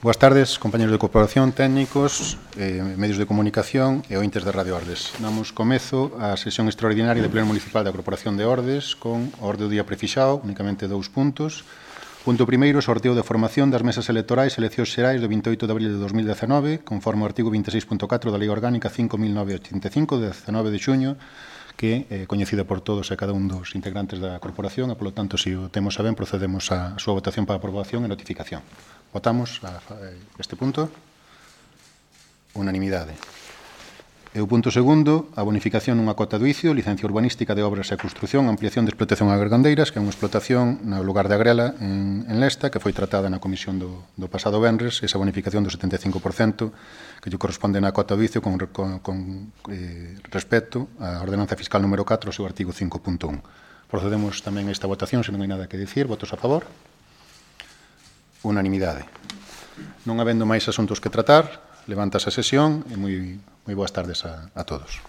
Boas tardes, compañeros de corporación, técnicos, medios de comunicación e ointes de Radio Ordes. Damos comezo á sesión extraordinaria do Pleno Municipal da Corporación de Ordes con o orde do día prefixado, únicamente 2 puntos. Punto primeiro, sorteo de formación das mesas electorais e eleccións xerais do 28 de abril de 2019, conforme ao artigo 26.4 da Lei Orgánica 5.985, de 19 de xuño, que é coñecida por todos e cada un dos integrantes da corporación e, polo tanto, se o temos a ben, procedemos á súa votación para aprobación e notificación. Votamos este punto. Unanimidade. E o punto segundo, a bonificación nunha cota do icio, licencia urbanística de obras e construción, ampliación de explotación a Gargandeiras, que é unha explotación no lugar de Agrela, en Lesta, que foi tratada na comisión do pasado venres, esa bonificación do 75% que lle corresponde na cota do icio con respecto á ordenanza fiscal número 4, o seu artigo 5.1. Procedemos tamén a esta votación, se non hai nada que dicir. Votos a favor? Unanimidade. Non habendo máis asuntos que tratar, levántase a sesión e moi boas tardes a todos.